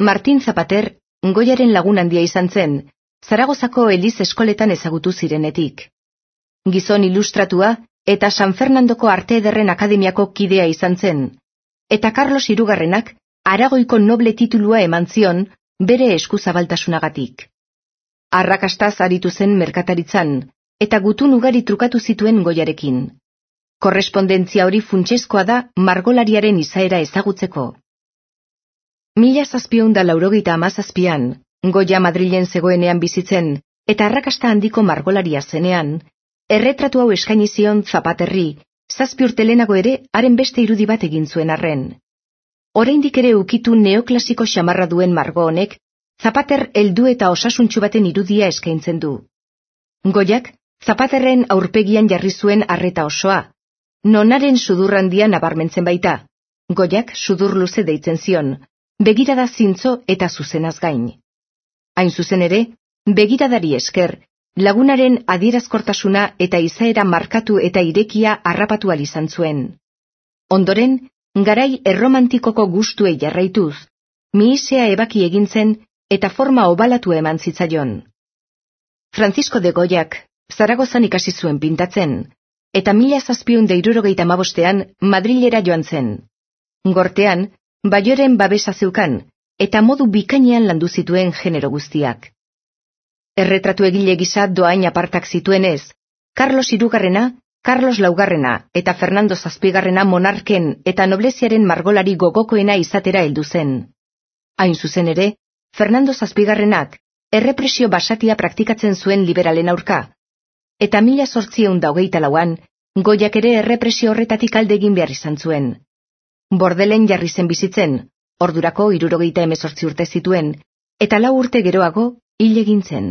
Martin Zapater, Goyaren lagun handia izan zen, Zaragozako Eliz eskoletan ezagutu zirenetik. Gizon ilustratua eta San Fernandoko Arte Ederren Akademiako kidea izan zen, eta Carlos Hirugarrenak Aragoiko noble titulua eman zion bere eskuzabaltasunagatik. Arrakastaz aritu zen merkataritzan, eta gutun ugari trukatu zituen Goyarekin. Korrespondentzia hori funtsezkoa da margolariaren izaera ezagutzeko. 1787an, Goya Madrilen zegoenean bizitzen, eta arrakasta handiko margolaria zenean, erretratu hau eskaini zion Zapaterri, 7 urte lehenago ere haren beste irudi bat egin zuen arren. Oraindik ere ukitu neoklasiko xamarra duen margo honek, Zapater heldu eta osasuntsu baten irudia eskaintzen du. Goyak, Zapaterren aurpegian jarri zuen arreta osoa, nonaren sudur handia nabarmentzen baita. Goyak sudur luze deitzen zion, begirada zintzo eta zuzenaz gain. Hain zuzen ere, begiradari esker, lagunaren adierazkortasuna eta izaera markatu eta irekia harrapatu ahal izan zuen. Ondoren, garai erromantikoko gustuei jarraituz, mihisea ebaki egin zen eta forma obalatu eman zitzaion. Francisco de Goyak Zaragozan ikasi zuen pintatzen, eta 1775ean Madrilera joan zen. Gortean, Bayoren babesa zeukan, eta modu bikainean landu zituen genero guztiak. Erretratu egile gisa dohain apartak zituenez, Carlos Hirugarrena, Carlos Laugarrena eta Fernando Zazpigarrena monarken eta nobleziaren margolari gogokoena izatera heldu zen. Hain zuzen ere, Fernando Zazpigarrenak errepresio basatia praktikatzen zuen liberalen aurka, eta 1824an, Goyak ere errepresio horretatik alde egin behar izan zuen. Bordelen jarri zen bizitzen, ordurako 78 urte zituen, eta 4 urte geroago hil egin zen.